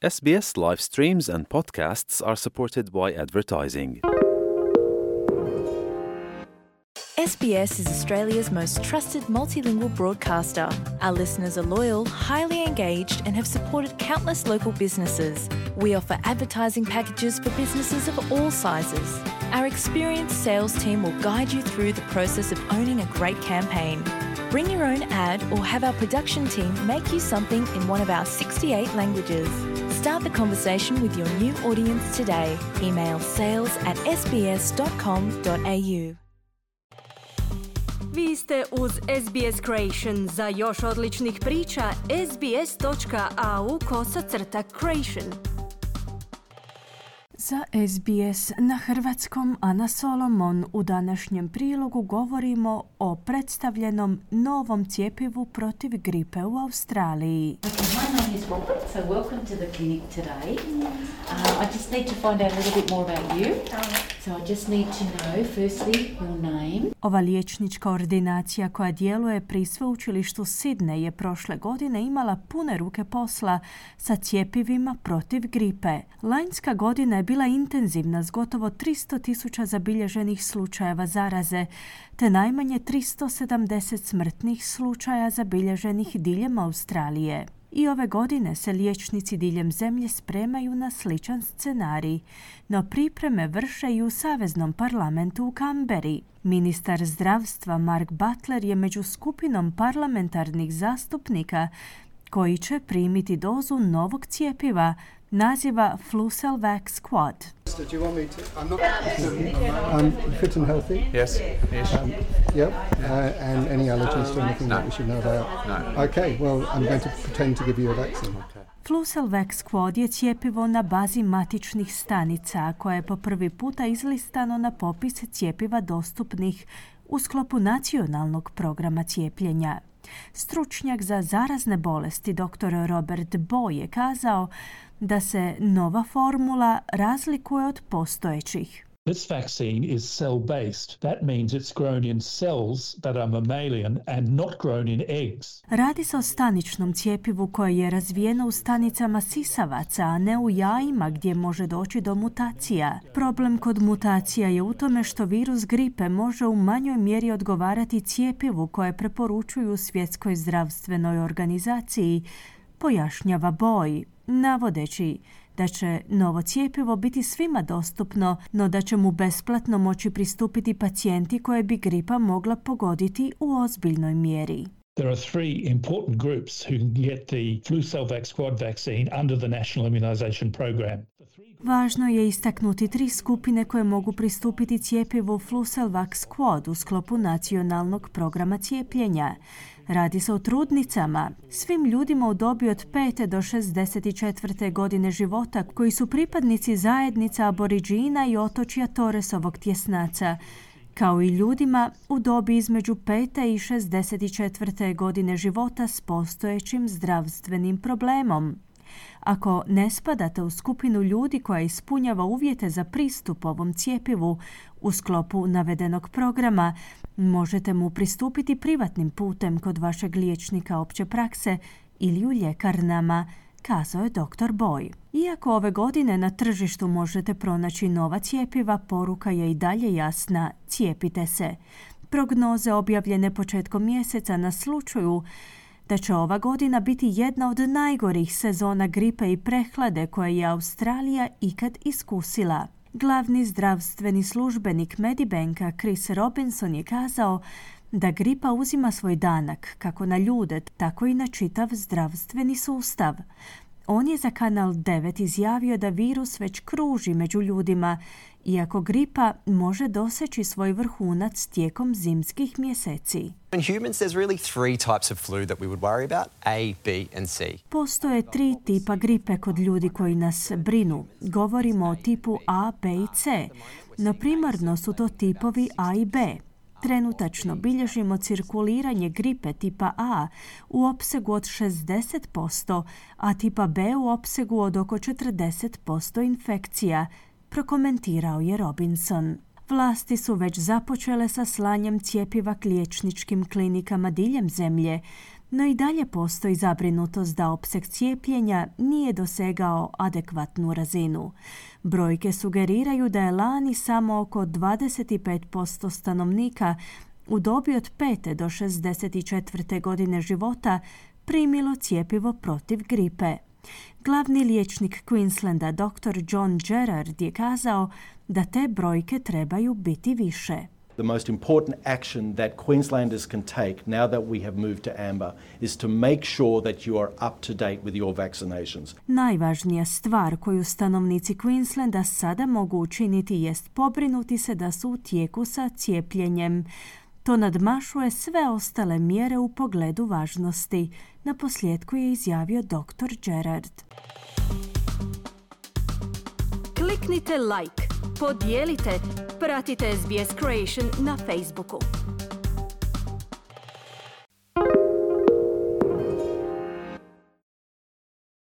SBS live streams and podcasts are supported by advertising. SBS is Australia's most trusted multilingual broadcaster. Our listeners are loyal, highly engaged, and have supported countless local businesses. We offer advertising packages for businesses of all sizes. Our experienced sales team will guide you through the process of owning a great campaign. Bring your own ad or have our production team make you something in one of our 68 languages. Start the conversation with your new audience today. Email sales@sbs.com.au. Vi ste uz SBS Creation. Za još odličnih priča, sbs.au/creation. Za SBS na hrvatskom Ana Solomon. U današnjem prilogu govorimo o predstavljenom novom cjepivu protiv gripe u Australiji. My name is Robert, so welcome to the clinic today. I just need to find out a little bit more about you. So I just need to know, firstly, your name. Ova liječnička ordinacija koja djeluje pri sveučilištu Sydney je prošle godine imala pune ruke posla sa cjepivima protiv gripe. Lanjska godina je bila intenzivna s gotovo 300,000 zabilježenih slučajeva zaraze, te najmanje 370 smrtnih slučaja zabilježenih diljem Australije. I ove godine se liječnici diljem zemlje spremaju na sličan scenarij, no pripreme vrše i u Saveznom parlamentu u Canberri. Ministar zdravstva Mark Butler je među skupinom parlamentarnih zastupnika koji će primiti dozu novog cjepiva, naziva Flucelvax Squad. Do you want me to? I'm fit and healthy. Yes. Yep. And any allergies to anything that we should know about? No. Okay. Well, I'm going to pretend to give you a vaccine. Flucelvax Squad je cjepivo na bazi matičnih stanica koje je po prvi puta izlistano na popis cjepiva dostupnih u sklopu nacionalnog programa cijepljenja. Stručnjak za zarazne bolesti dr. Robert Boy je kazao da se nova formula razlikuje od postojećih. This vaccine is cell-based. That means it's grown in cells that are mammalian and not grown in eggs. Radi se o staničnom cjepivu koje je razvijeno u stanicama sisavaca, a ne u jajima gdje može doći do mutacija. Problem kod mutacija je u tome što virus gripe može u manjoj mjeri odgovarati cjepivu koje preporučuju Svjetskoj zdravstvenoj organizaciji, pojašnjava Boy, navodeći da će novo cjepivo biti svima dostupno, no da će mu besplatno moći pristupiti pacijenti koje bi gripa mogla pogoditi u ozbiljnoj mjeri. There are three important groups who can get the Flucelvax Squad vaccine under the National Immunization Program. Važno je istaknuti 3 skupine koje mogu pristupiti cjepivu Flucelvax Squad u sklopu nacionalnog programa cijepljenja. Radi se o trudnicama, svim ljudima u dobi od 5. do 64. godine života koji su pripadnici zajednica aboriđina i otočja Torresovog tjesnaca, kao i ljudima u dobi između 5. i 64. godine života s postojećim zdravstvenim problemom. Ako ne spadate u skupinu ljudi koja ispunjava uvjete za pristup ovom cjepivu u sklopu navedenog programa, možete mu pristupiti privatnim putem kod vašeg liječnika opće prakse ili u ljekarnama, kazao je dr. Boy. Iako ove godine na tržištu možete pronaći nova cjepiva, poruka je i dalje jasna: cijepite se. Prognoze objavljene početkom mjeseca naslučuju da će ova godina biti jedna od najgorih sezona gripe i prehlade koje je Australija ikad iskusila. Glavni zdravstveni službenik Medibanka Chris Robinson je kazao da gripa uzima svoj danak kako na ljude, tako i na čitav zdravstveni sustav. On je za Kanal 9 izjavio da virus već kruži među ljudima, iako gripa može doseći svoj vrhunac tijekom zimskih mjeseci. In humans, there's really 3 types of flu that we would worry about: A, B and C. Postoje 3 tipa gripe kod ljudi koji nas brinu. Govorimo o tipu A, B i C, no primarno su to tipovi A i B. Trenutačno bilježimo cirkuliranje gripe tipa A u opsegu od 60%, a tipa B u opsegu od oko 40% infekcija, prokomentirao je Robinson. Vlasti su već započele sa slanjem cjepiva k liječničkim klinikama diljem zemlje, No i dalje postoji zabrinutost da opseg cijepljenja nije dosegao adekvatnu razinu. Brojke sugeriraju da je lani samo oko 25% stanovnika u dobi od 5. do 64. godine života primilo cjepivo protiv gripe. Glavni liječnik Queenslanda dr. John Gerard je kazao da te brojke trebaju biti više. The most important action that Queenslanders can take now that we have moved to amber is to make sure that you are up to date with your vaccinations. Najvažnija stvar koju stanovnici Queenslanda sada mogu učiniti jest pobrinuti se da su u tijeku sa cijepljenjem. To nadmašuje sve ostale mjere u pogledu važnosti, naposljetku je izjavio dr. Gerard. Kliknite like, podijelite, pratite SBS Creation na Facebooku.